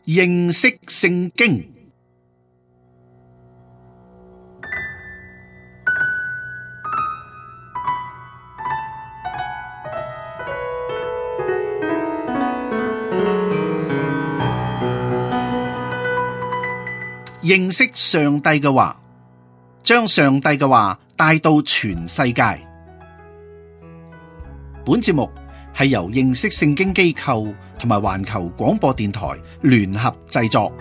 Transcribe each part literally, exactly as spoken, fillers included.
認識聖經。認識上帝嘅話，將上帝嘅話帶到全世界。本節目係由認識聖經機構同埋環球廣播電台聯合製作。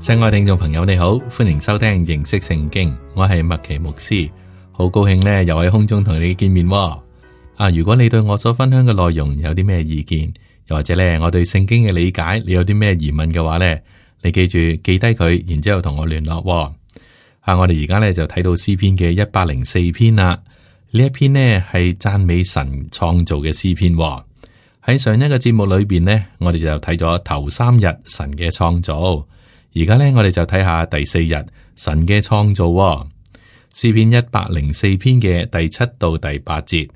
親愛聽眾朋友，你好，歡迎收聽認識聖經，我係麥奇牧師。好高興咧，又喺空中同你見面喎。啊，如果你對我所分享嘅內容有啲咩意見，又或者咧我對聖經嘅理解，你有啲咩疑問嘅話咧，你記住記低佢，然之後同我聯絡喎。啊，我哋而家咧就睇到詩篇嘅一百零四篇啦。呢一篇呢係讚美神創造嘅詩篇喎。喺上一個節目裏邊呢，我哋就睇咗頭三日神嘅創造，而家咧我哋就睇下第四日神嘅創造喎。詩篇一百零四篇嘅第七到第八節，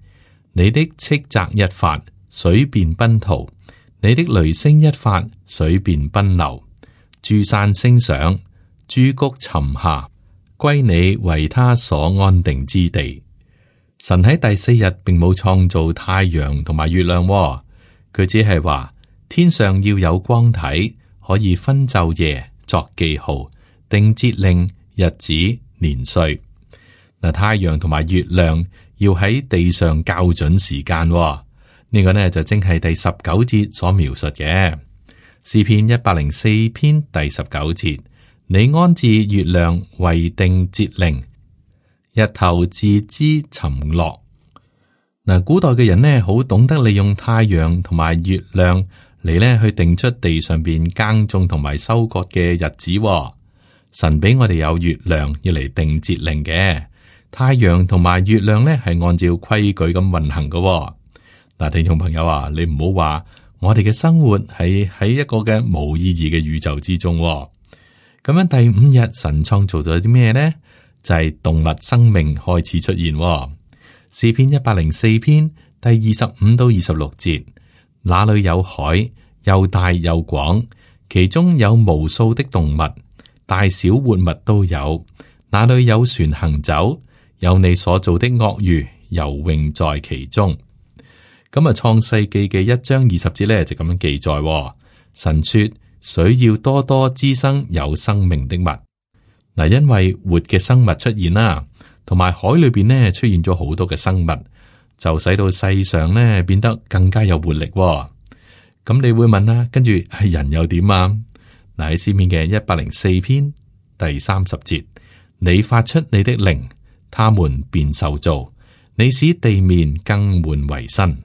你的斥責一發，水便奔逃；你的雷聲一發，水便奔流。諸山升上，諸谷沉下，歸你為他所安定之地。神喺第四日並冇創造太陽同埋月亮喎，佢只係話天上要有光體，可以分晝夜，作記號，定節令、日子、年歲。嗱，太陽同埋月亮要喺地上校準時間，呢、這個呢就正係第十九節所描述嘅。詩篇一百零四篇第十九節，你安置月亮為定節令，日頭自知沉落。嗱，古代嘅人呢，好懂得利用太陽同埋月亮嚟呢去定出地上邊耕種同埋收割嘅日子。神俾我哋有月亮要嚟定節令嘅。太陽同埋月亮咧係按照規矩咁運行嘅。嗱，聽眾朋友啊，你唔好話我哋嘅生活係喺一個嘅冇意義嘅宇宙之中。咁樣第五日神創造咗啲咩呢？就係動物生命開始出現。詩篇一百零四篇第二十五到二十六節，那裏有海，又大又廣，其中有無數的動物，大小活物都有。那裏有船行走，有你所造的鱷魚游泳在其中。咁啊，創世記嘅一章二十節咧就咁樣記載：神說，水要多多滋生有生命的物。嗱，因為活嘅生物出現啦，同埋海裏邊呢出現咗好多嘅生物，就使到世上呢變得更加有活力。咁你會問啦，跟住係人又點啊？嗱，喺詩篇嘅一百零四篇第三十節，你發出你的靈，他們便受造，你使地面更換為新。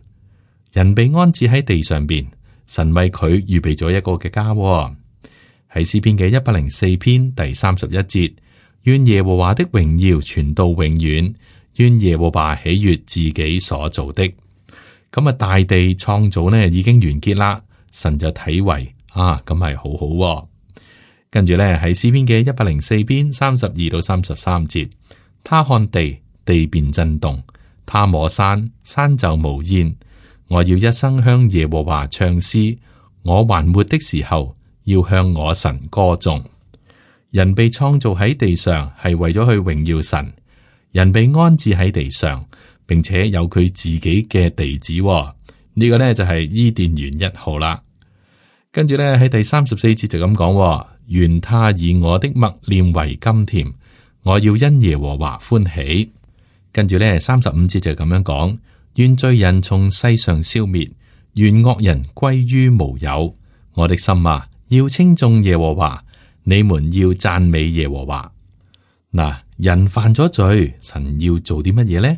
人被安置喺地上邊，神為佢預備咗一個嘅家。喺詩篇嘅一百零四篇第三十一節，願耶和華的榮耀傳到永遠，願耶和華喜悅自己所做的。咁啊，大地創造呢已經完結啦，神就睇為啊，咁係好好。跟住咧喺詩篇嘅一百零四篇三十二到三十三節。他看地，地便震動；他摸山，山就冒煙。我要一生向耶和華唱詩，我還活的時候，要向我神歌頌。人被創造喺地上，係為咗去榮耀神。人被安置喺地上，並且有佢自己嘅地址。呢個呢就係伊甸園一號啦。跟住呢喺第三十四節就咁講：願他以我的默念為甘甜。我要因耶和華歡喜。跟住咧，三十五節就咁樣講：願罪人從世上消滅，願惡人歸於無有。我的心啊，要稱頌耶和華，你們要讚美耶和華。嗱，人犯咗罪，神要做啲乜嘢呢？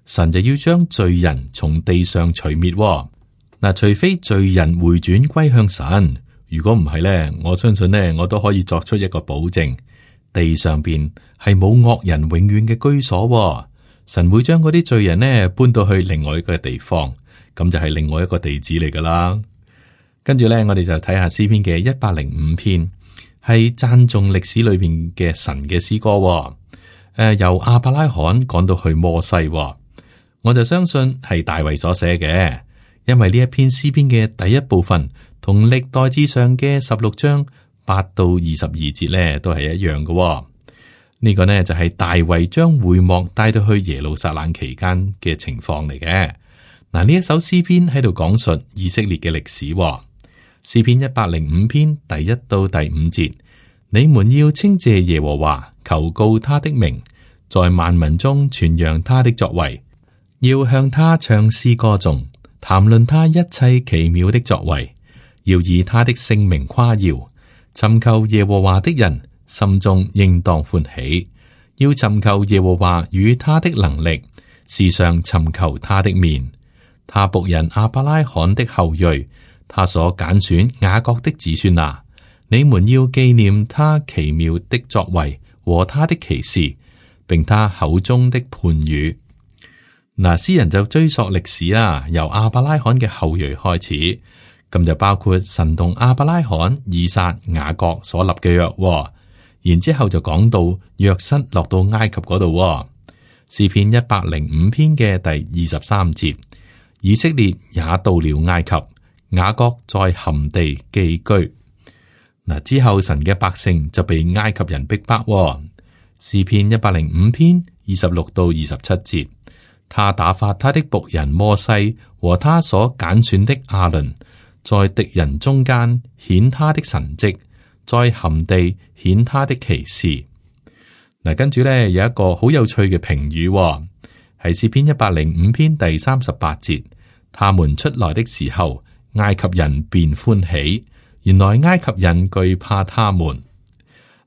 神就要將罪人從地上除滅。嗱，除非罪人回轉歸向神，如果唔係咧，我相信咧，我都可以作出一個保證。地上邊係冇惡人永遠嘅居所，神會將嗰啲罪人呢搬到去另外一個地方，咁就係另外一個地址嚟噶啦。跟住咧，我哋就睇下詩篇嘅一百零五篇，係讚頌歷史裏邊嘅神嘅詩歌。誒、呃，由亞伯拉罕講到去摩西，哦，我就相信係大衛所寫嘅，因為呢一篇詩篇嘅第一部分同歷代志上嘅十六章八到二十二節咧都係一樣嘅，哦。呢個呢就係大衛將會幕帶到去耶路撒冷期間嘅情況嚟嘅。嗱，呢一首詩篇喺度講述以色列嘅歷史，哦。詩篇一百零五篇第一到第五節，你們要稱謝耶和華，求告他的名，在萬民中傳揚他的作為，要向他唱詩歌頌，談論他一切奇妙的作為，要以他的聖名誇耀。尋求耶和華的人，心中應當歡喜，要尋求耶和華與他的能力，時常尋求他的面。他僕人亞伯拉罕的後裔，他所揀選雅各的子孫啊，你們要紀念他奇妙的作為和他的奇事，並他口中的判語。嗱，詩人就追溯歷史啦，由亞伯拉罕嘅後裔開始，咁就包括神同亞伯拉罕、以撒、雅各所立嘅約。然之後就講到約瑟落到埃及嗰度，詩篇一百零五篇嘅第二十三節，以色列也到了埃及，雅各在含地寄居。嗱，之後神嘅百姓就被埃及人逼迫，詩篇一百零五篇二十六到二十七節，他打發他的僕人摩西和他所揀選的亞倫，在敵人中間顯他的神蹟，在含地顯他的奇事。嗱，跟住咧有一個好有趣嘅評語，係詩篇一百零五篇第三十八節，他們出來的時候，埃及人便歡喜，原來埃及人懼怕他們。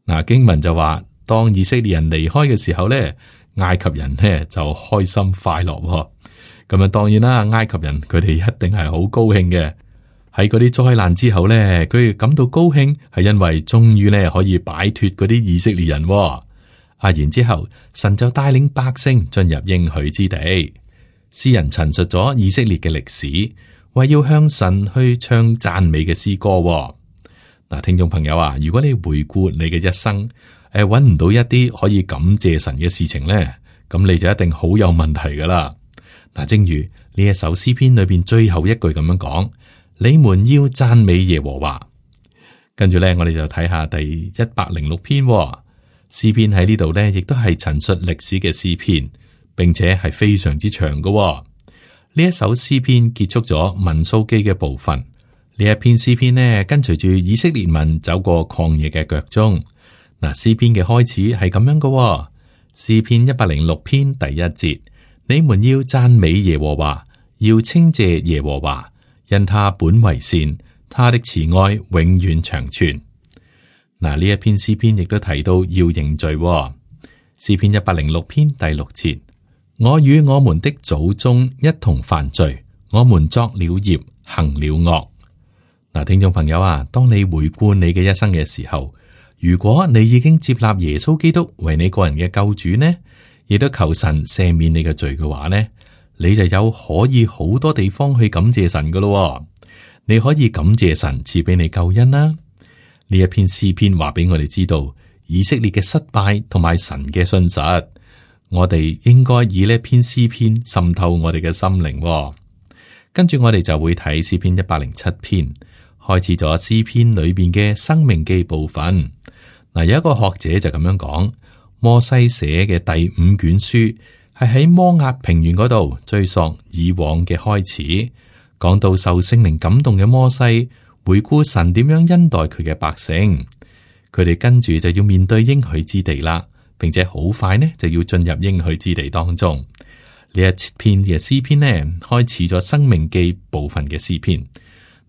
嗱，經文就話，當以色列人離開嘅時候咧，埃及人呢就開心快樂。咁啊，當然啦，埃及人佢哋一定係好高興嘅。喺嗰啲災難之後咧，佢哋感到高興，係因為終於咧可以擺脫嗰啲以色列人。啊，然之後神就帶領百姓進入應許之地。詩人陳述咗以色列嘅歷史，為要向神去唱讚美嘅詩歌。嗱，聽眾朋友啊，如果你回顧你嘅一生，誒，搵唔到一啲可以感謝神嘅事情咧，咁你就一定好有問題噶啦。嗱，正如呢一首詩篇裏邊最後一句咁樣講。你們要讚美耶和華，跟住咧，我哋就睇下第一百零六篇詩篇喺呢度咧，亦都係陳述歷史嘅詩篇，並且係非常之長嘅。呢一首詩篇結束咗民數記嘅部分，呢一篇詩篇呢，跟隨住以色列民走過曠野嘅腳蹤。嗱，詩篇嘅開始係咁樣嘅，詩篇一百零六篇第一節，你們要讚美耶和華，要稱謝耶和華。因他本為善，他的慈愛永遠長存。嗱，呢一篇詩篇亦都提到要認罪。詩篇一百零六篇第六節，我與我們的祖宗一同犯罪，我們作了孽，行了惡。嗱，聽眾朋友啊，當你回顧你嘅一生嘅時候，如果你已經接納耶穌基督為你個人嘅救主呢，亦都求神赦免你嘅罪嘅話呢，你就有可以好多地方去感謝神噶咯。你可以感謝神賜俾你救恩啦。呢一篇詩篇話俾我哋知道以色列嘅失敗同埋神嘅信實。我哋應該以呢篇詩篇滲透我哋嘅心靈。跟住我哋就會睇詩篇一百零七篇，開始咗詩篇裏邊嘅生命記部分。嗱，有一個學者就咁樣講，摩西寫嘅第五卷書。係喺摩押平原嗰度追溯以往嘅開始，講到受聖靈感動嘅摩西回顧神點樣恩待佢嘅百姓，佢哋跟住就要面對應許之地啦，並且好快呢就要進入應許之地當中。呢一篇嘅詩篇呢，開始咗生命記部分嘅詩篇，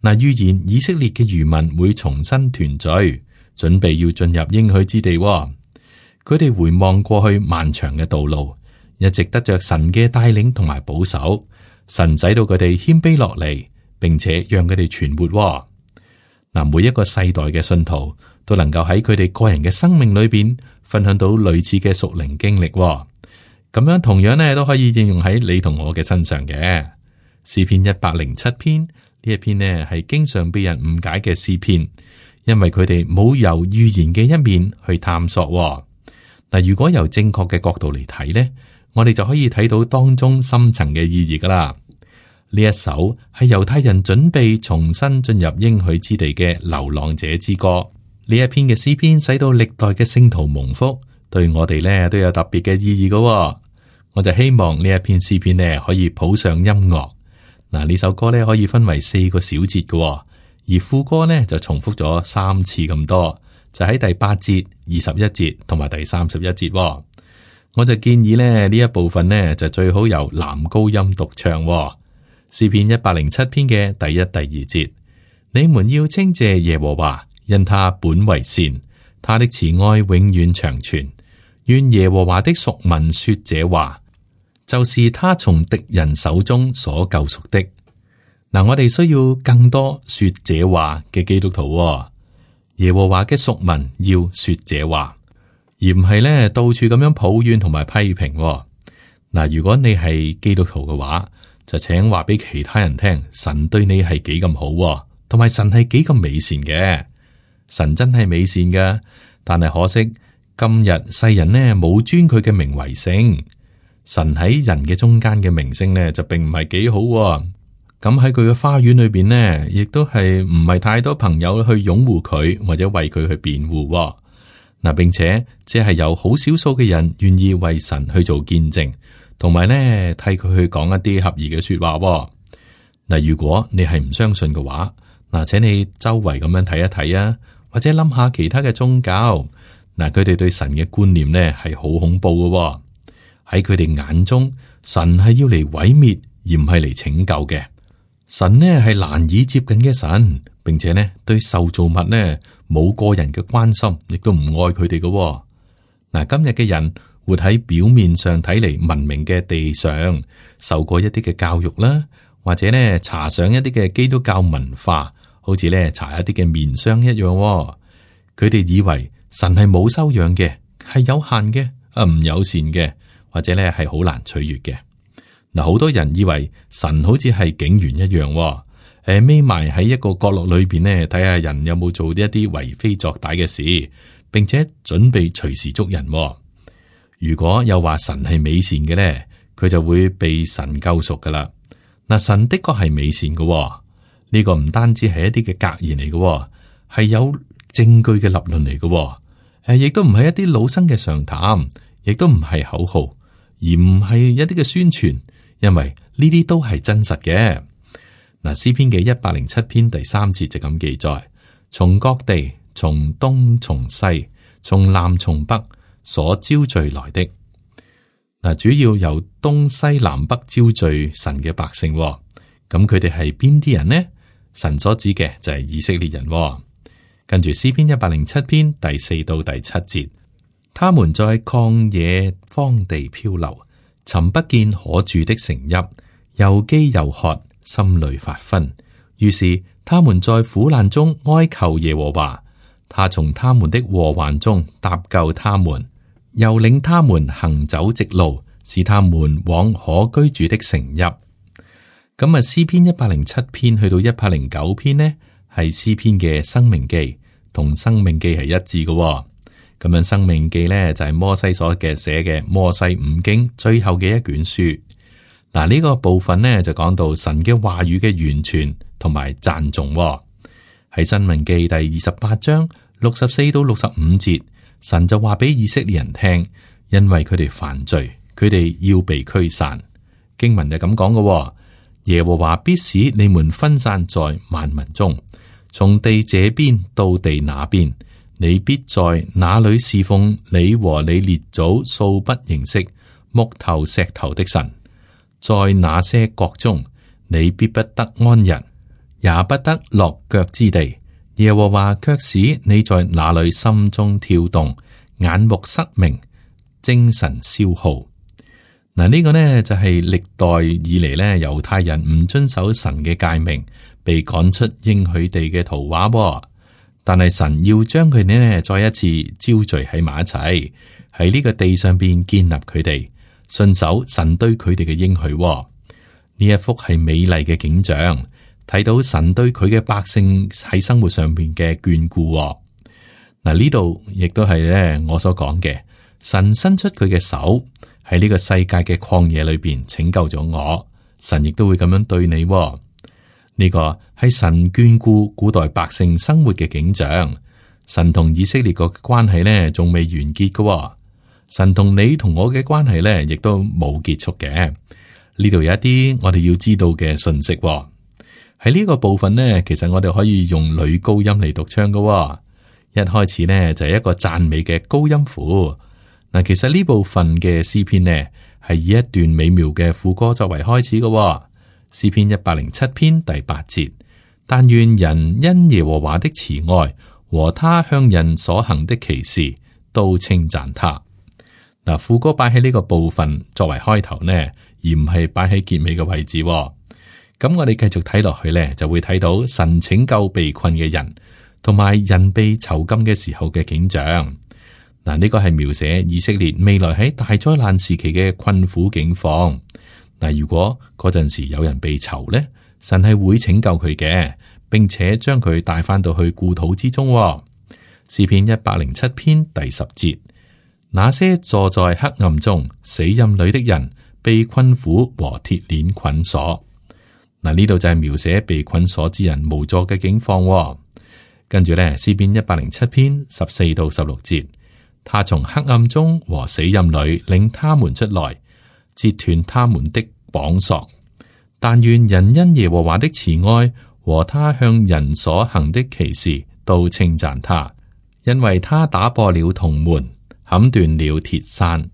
嗱，預言以色列嘅餘民會重新團聚，準備要進入應許之地。佢哋回望過去漫長嘅道路。一直得着神嘅帶領同埋保守，神使到佢哋謙卑落嚟，並且讓佢哋存活。嗱，每一個世代嘅信徒都能夠喺佢哋個人嘅生命裏邊分享到類似嘅屬靈經歷，咁樣同樣咧都可以應用喺你同我嘅身上嘅。詩篇一百零七篇呢一篇呢係經常被人誤解嘅詩篇，因為佢哋冇由預言嘅一面去探索。嗱，如果由正確嘅角度嚟睇呢，我哋就可以睇到當中深層嘅意義噶啦。呢一首係猶太人準備重新進入應許之地嘅流浪者之歌。呢一篇嘅詩篇使到歷代嘅聖徒蒙福，對我哋呢都有特別嘅意義噶。我就希望呢一篇詩篇呢可以譜上音樂。嗱，呢首歌呢可以分為四個小節嘅，而副歌呢就重複咗三次咁多，就喺第八節、二十一節同埋第三十一節。我就建議呢呢一部分呢就最好由男高音獨唱。詩篇一百零七篇嘅第一、第二節，你們要稱謝耶和華，因他本為善，他的慈愛永遠長存。願耶和華的屬民說這話，就是他從敵人手中所救贖的。嗱，我哋需要更多說這話嘅基督徒。耶和華嘅屬民要說這話，而唔係咧到處咁樣抱怨同埋批評。嗱，如果你係基督徒嘅話，就請話俾其他人聽，神對你係幾咁好，同埋神係幾咁美善嘅。神真係美善嘅，但係可惜今日世人呢冇尊佢嘅名為聖。神喺人嘅中間嘅名聲呢就並唔係幾好。咁喺佢嘅花園裏邊呢，亦都係唔係太多朋友去擁護佢或者為佢去辯護。嗱，並且只係有好少數嘅人願意為神去做見證。同埋咧，替佢去講一啲合宜嘅說話。嗱，如果你係唔相信嘅話，嗱，請你周圍咁樣睇一睇啊，或者諗下其他嘅宗教。嗱，佢哋對神嘅觀念呢係好恐怖嘅。喺佢哋眼中，神係要嚟毀滅，而唔係嚟拯救嘅。神呢係難以接近嘅神，並且呢對受造物呢冇個人嘅關心，亦都唔愛佢哋嘅。嗱，今日嘅人。活喺表面上睇嚟文明嘅地上，受過一啲嘅教育啦，或者咧搽上一啲嘅基督教文化，好似咧搽一啲嘅面霜一樣。佢哋以為神係冇修養嘅，係有限嘅，啊唔友善嘅，或者咧係好難取悅嘅。嗱，好多人以為神好似係警員一樣，誒匿埋喺一個角落裏邊咧，睇下人有冇做一啲為非作歹嘅事，並且準備隨時捉人。如果又話神係美善嘅咧，佢就會被神救贖噶啦。嗱，神的確係美善嘅，呢個唔單止係一啲嘅格言嚟嘅，係有證據嘅立論嚟嘅。誒，亦都唔係一啲老生嘅常談，亦都唔係口號，而唔係一啲嘅宣傳，因為呢啲都係真實嘅。嗱，詩篇嘅一百零七篇第三節就咁記載：從各地，從東從西，從南從北。所招聚來的。嗱，主要由東西南北招聚神嘅百姓，咁佢哋係邊啲人呢？神所指嘅就係以色列人。跟住詩篇一百零七篇第四到第七節，他們在曠野荒地漂流，尋不見可住的城邑，又飢又渴，心裏發昏。於是他們在苦難中哀求耶和華，他從他們的禍患中搭救他們。又領他們行走直路，使他們往可居住的城邑。咁啊，詩篇一百零七篇去到一百零九篇呢，係詩篇嘅申命記，同申命記係一致嘅。咁樣申命記呢，就係摩西所嘅寫嘅摩西五經最後嘅一卷書。嗱，呢個部分呢，就講到神嘅話語嘅完全同埋讚頌。喺申命記第二十八章六十四到六十五節。神就話俾以色列人聽，因為佢哋犯罪，佢哋要被驅散。經文就咁講嘅，耶和華必使你們分散在萬民中，從地這邊到地那邊，你必在那裏侍奉你和你列祖素不認識木頭石頭的神。在那些國中，你必不得安逸，也不得落腳之地。耶和華卻使你在那裏心中跳動，眼目失明，精神消耗。嗱，呢個呢就係、是、歷代以嚟呢猶太人唔遵守神嘅誡命，被趕出應許地嘅圖畫。但係神要將佢哋呢再一次招聚喺埋一齊，喺呢個地上邊建立佢哋，順守神對佢哋嘅應許。呢一幅係美麗嘅景象。睇到神對佢嘅百姓喺生活上邊嘅眷顧。嗱，呢度亦都係咧我所講嘅，神伸出佢嘅手喺呢個世界嘅曠野裏邊拯救咗我，神亦都會咁樣對你喎。呢個係神眷顧古代百姓生活嘅景象。神同以色列國嘅關係呢，仲未完結㗎喎。神同你同我嘅關係呢，亦都冇結束嘅。呢度有一啲我哋要知道嘅信息喎。喺呢個部分呢，其實我哋可以用女高音嚟讀唱㗎喎。一開始呢，就係一個讚美嘅高音符。嗱，其實呢部分嘅詩篇呢，係以一段美妙嘅副歌作為開始嘅喎。詩篇一百零七篇第八節，但願人因耶和華的慈愛和他向人所行的奇事都稱讚他。嗱，副歌擺喺呢個部分作為開頭呢，而唔係擺喺結尾嘅位置喎。咁我哋繼續睇落去呢，就會睇到神拯救被困嘅人，同埋人被囚禁嘅時候嘅景象。嗱，呢個係描寫以色列未來喺大災難時期嘅困苦境況。嗱，如果嗰陣時有人被囚呢，神係會拯救佢嘅，並且將佢帶翻到去故土之中。詩篇一百零七篇第十節，那些坐在黑暗中死蔭裏的人，被困苦和鐵鏈捆鎖。嗱，呢度就係描寫被捆鎖之人無助嘅境況。跟住咧，詩篇一百零七篇十四到十六節，他從黑暗中和死蔭裏領他們出來，截斷他們的綁索。但願人因耶和華的慈愛和他向人所行的奇事都稱讚他，因為他打破了銅門，砍斷了鐵山。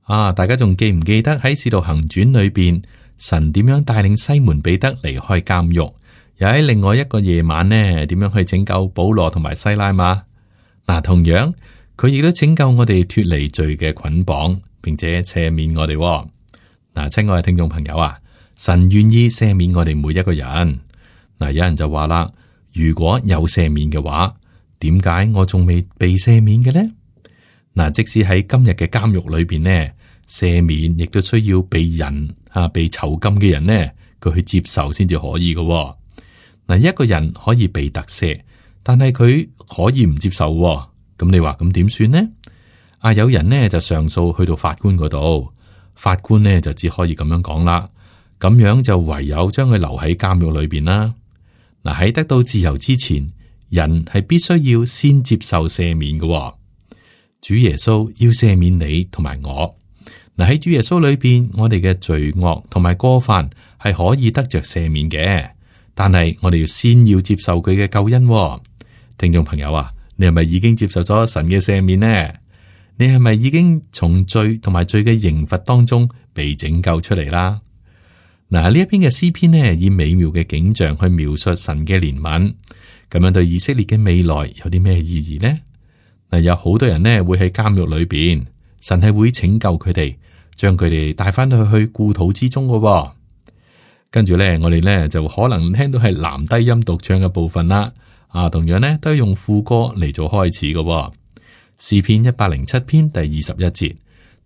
啊，大家仲記唔記得喺使徒行傳裏邊，神點樣帶領西門彼得離開監獄？又喺另外一個夜晚呢，點樣去拯救保羅同埋西拉嘛？嗱，同樣佢亦都拯救我哋脫離罪嘅捆綁，並且赦免我哋。嗱，親愛嘅聽眾朋友啊，神願意赦免我哋每一個人。嗱，有人就話啦，如果有赦免嘅話，點解我仲未被赦免嘅呢？嗱，即使喺今日嘅監獄裏邊呢，赦免亦都需要被人啊，被囚禁嘅人呢，佢去接受先至可以嘅。嗱，一個人可以被特赦，但係佢可以唔接受，咁你話咁點算呢？啊，有人呢就上訴去到法官嗰度，法官呢就只可以咁樣講啦，咁樣就唯有將佢留喺監獄裏邊啦。嗱，喺得到自由之前，人係必須要先接受赦免嘅。主耶穌要赦免你同埋我。嗱，喺主耶穌裏邊，我哋嘅罪惡同埋過犯係可以得着赦免嘅。但係我哋要先要接受佢嘅救恩。聽眾朋友啊，你係咪已經接受咗神嘅赦免呢？你係咪已經從罪同埋罪嘅刑罰當中被拯救出嚟啦？嗱，呢一篇嘅詩篇呢，以美妙嘅景象去描述神嘅憐憫，咁樣對以色列嘅未來有啲咩意義呢？嗱，有好多人呢會喺監獄裏邊，神係會拯救佢哋，將佢哋帶翻去去故土之中嘅。跟住咧，我哋咧就可能聽到係男低音獨唱嘅部分啦。啊，同樣咧都係用副歌嚟做開始嘅。詩篇一百零七篇第二十一節，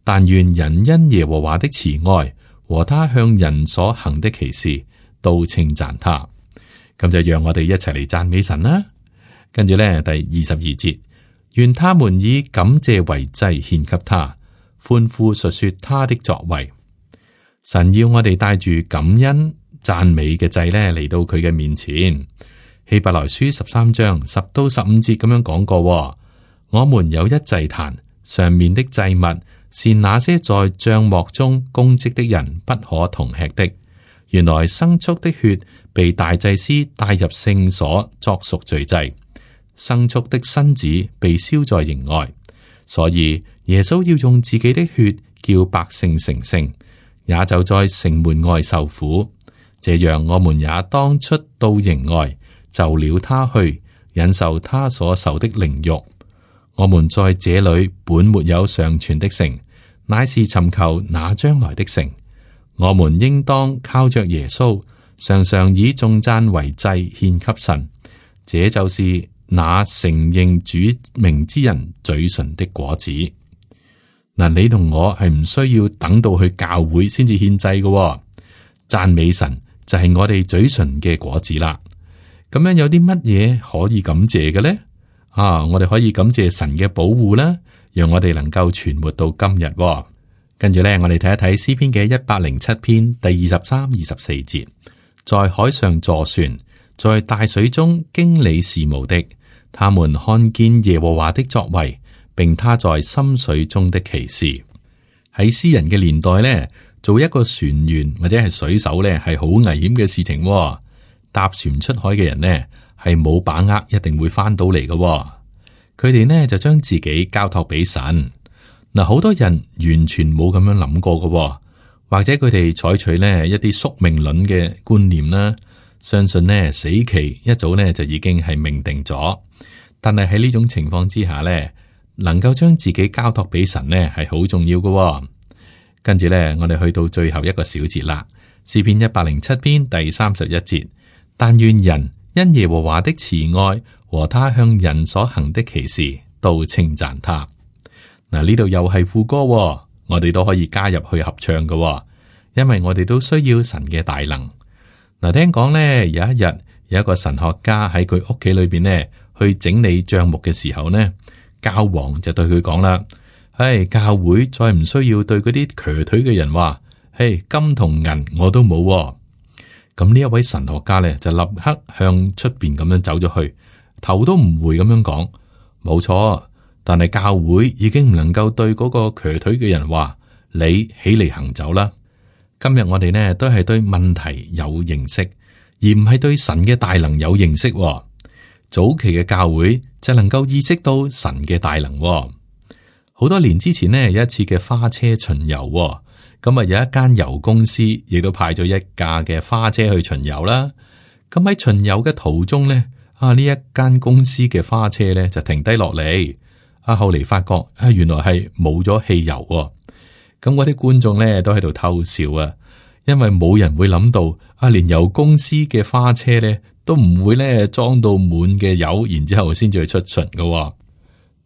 但願人因耶和華的慈愛和他向人所行的奇事都稱讚他。咁就讓我哋一齊嚟讚美神啦。跟住咧第二十二節，願他們以感謝為祭獻給他，歡呼述說他的作為。神要我哋帶住感恩讚美嘅祭咧嚟到佢嘅面前。希伯來書十三章十到十五節咁樣講過，我們有一祭壇，上面的祭物是那些在帳幕中供職的人不可同吃的。原來牲畜的血被大祭司帶入聖所作贖罪祭，牲畜的身子被燒在營外，所以耶穌要用自己的血叫百姓成聖，也就在城門外受苦。這樣我們也當出到營外，就了他去，忍受他所受的凌辱。我們在這裏本沒有尚存的城，乃是尋求那將來的城。我們應當靠着耶穌，常常以頌讚為祭獻給神。這就是那承認主名之人嘴唇的果子。嗱，你同我係唔需要等到去教會先至獻祭嘅，讚美神就係我哋嘴唇嘅果子啦。咁樣有啲乜嘢可以感謝嘅咧？啊，我哋可以感謝神嘅保護啦，讓我哋能夠存活到今日。跟住咧，我哋睇一睇詩篇嘅一百零七篇第二十三、二十四節，在海上坐船，在大水中經理事務的，他們看見耶和華的作為，並他在深水中的奇事。喺詩人嘅年代咧，做一個船員或者係水手咧，係好危險嘅事情。搭船出海嘅人呢，係冇把握一定會翻到嚟嘅。佢哋呢就將自己交託俾神。嗱，好多人完全冇咁樣諗過嘅，或者佢哋採取呢一啲宿命論嘅觀念啦，相信呢死期一早呢就已經係命定咗。但係喺呢種情況之下呢，能夠將自己交託俾神呢係好重要嘅。跟住呢，我哋去到最後一個小節啦，詩篇一百零七篇第三十一節，但願人因耶和華的慈愛和他向人所行的奇事，都稱讚他。嗱，呢度又係副歌，我哋都可以加入去合唱嘅，因為我哋都需要神嘅大能。嗱，聽講呢，有一日有一個神學家喺佢屋企裏邊呢去整理賬目嘅時候呢，教皇就對佢講啦：唉，教會再唔需要對嗰啲瘸腿嘅人話，嘿，金同銀我都冇。咁呢一位神學家咧就立刻向出邊咁樣走咗去，頭都唔回咁樣講：冇錯。但係教會已經唔能夠對嗰個瘸腿嘅人話，你起嚟行走啦。今日我哋呢都係對問題有認識，而唔係對神嘅大能有認識。早期嘅教會就能夠意識到神嘅大能。好多年之前呢，有一次嘅花車巡遊，咁啊有一間油公司亦都派咗一架嘅花車去巡遊啦。咁喺巡遊嘅途中呢，啊呢一間公司嘅花車呢就停低落嚟。啊！後嚟發覺啊，原來係冇咗汽油喎。咁嗰啲觀眾咧都喺度偷笑啊，因為冇人會諗到啊，連油公司嘅花車咧都唔會咧裝到滿嘅油，然之後先至去出巡噶。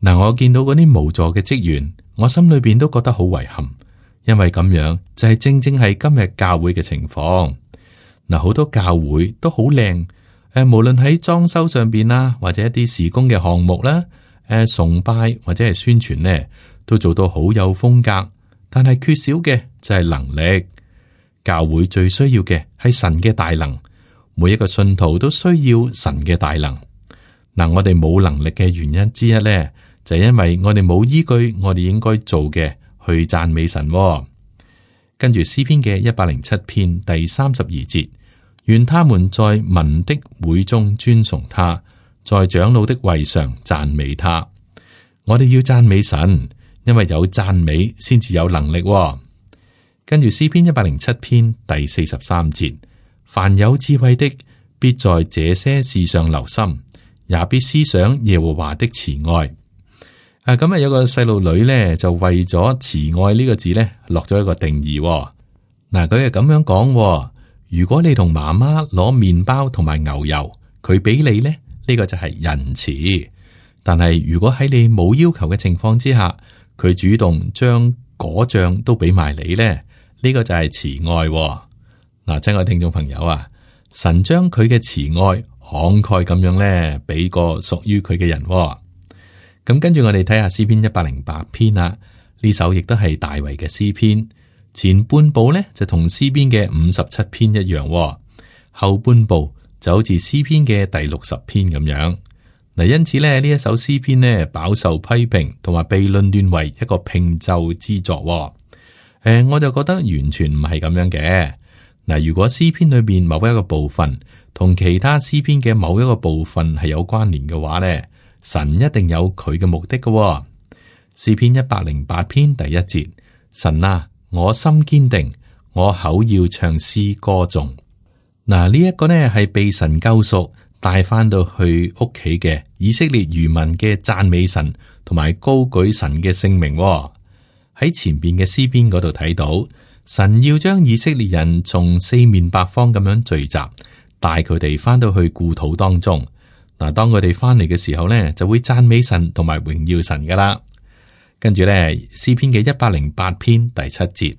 嗱，我見到嗰啲無助嘅職員，我心裏邊都覺得好遺憾，因為咁樣就係正正係今日教會嘅情況。嗱，好多教會都好靚，誒，無論喺裝修上邊啦，或者一啲事工嘅項目啦。誒，崇拜或者係宣傳呢，都做到好有風格，但係缺少嘅就係能力。教會最需要嘅係神嘅大能，每一個信徒都需要神嘅大能。嗱，我哋冇能力嘅原因之一呢，就係因為我哋冇依據我哋應該做嘅去讚美神。跟住詩篇嘅一百零七篇第三十二節，願他們在民的會中尊崇他，在長老的位上讚美他。我哋要讚美神，因為有讚美先至有能力。跟住詩篇一百零七篇第四十三節，凡有智慧的，必在這些事上留心，也必思想耶和華的慈愛。啊，咁啊有個細路女咧，就為咗慈愛呢個字咧，落咗一個定義。嗱，佢係咁樣講：如果你同媽媽攞麵包同埋牛油，佢俾你咧。呢個就係仁慈，但係如果喺你冇要求嘅情況之下，佢主動將果醬都俾埋你咧，呢、這個就係慈愛。嗱，親愛聽眾朋友啊，神將佢嘅慈愛慷慨咁樣咧，俾個屬於佢嘅人。咁跟住我哋睇下詩篇一百零八篇啦，呢首亦都係大衛嘅詩篇，前半部咧就同詩篇嘅五十七篇一樣，後半部就好似詩篇嘅第六十篇咁樣。嗱，因此咧呢一首詩篇呢，飽受批評，同埋被論斷為一個拼奏之作。誒、呃，我就覺得完全唔係咁樣嘅。嗱，如果詩篇裏邊某一個部分同其他詩篇嘅某一個部分係有關聯嘅話呢，神一定有佢嘅目的嘅。詩篇一百零八篇第一節，神啊，我心堅定，我口要唱詩歌頌。嗱，呢一個呢係被神救贖帶翻到去屋企嘅以色列餘民嘅讚美神同埋高舉神嘅聖名。喺前邊嘅詩篇嗰度睇到，神要將以色列人從四面八方咁樣聚集，帶佢哋翻到去故土當中。嗱，當佢哋翻嚟嘅時候呢，就會讚美神同埋榮耀神噶啦。跟住呢，詩篇嘅一百零八篇第七節，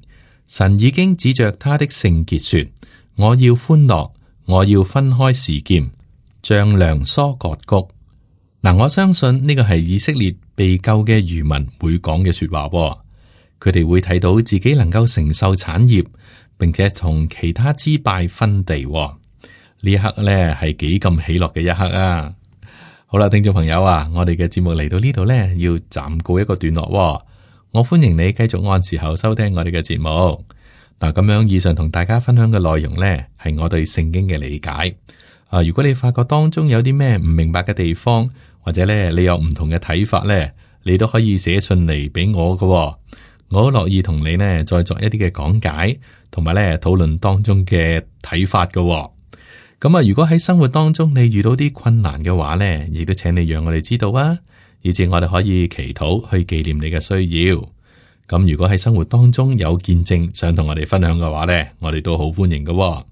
神已經指着他的聖潔說，我要歡樂，我要分開示劍，丈量疏割谷。嗱，我相信呢個係以色列被救嘅漁民會講嘅說話。佢哋會睇到自己能夠承受產業，並且同其他支派分地。呢一刻咧係幾咁喜樂嘅一刻啊！好啦，聽眾朋友啊，我哋嘅節目嚟到呢度咧，要暫告一個段落。我歡迎你繼續按時候收聽我哋嘅節目。嗱，咁樣以上同大家分享嘅內容呢，係我對聖經嘅理解。啊，如果你發覺當中有啲咩唔明白嘅地方，或者咧你有唔同嘅睇法呢，你都可以寫信嚟俾我㗎。我好樂意同你呢再作一啲嘅講解，同埋咧討論當中嘅睇法㗎。咁啊，如果喺生活當中你遇到啲困難嘅話呢，亦都請你讓我哋知道啊，以至我哋可以祈禱去紀念你嘅需要。咁如果喺生活當中有見證想同我哋分享嘅話呢，我哋都好歡迎㗎。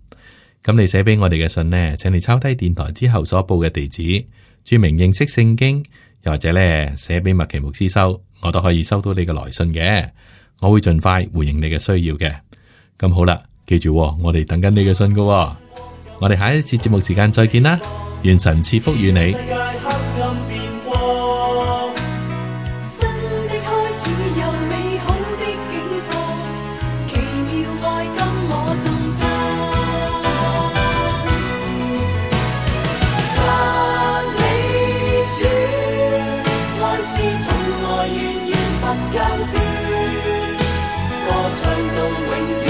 咁你寫俾我哋嘅信呢，請你抄低電台之後所報嘅地址，注明認識聖經，又或者咧寫俾麥奇牧師收，我都可以收到你嘅來信嘅。我會盡快回應你嘅需要嘅。咁好啦，記住，我哋等緊你嘅信㗎。我哋下一次節目時間再見啦，願神賜福與你。間斷，歌唱到永遠。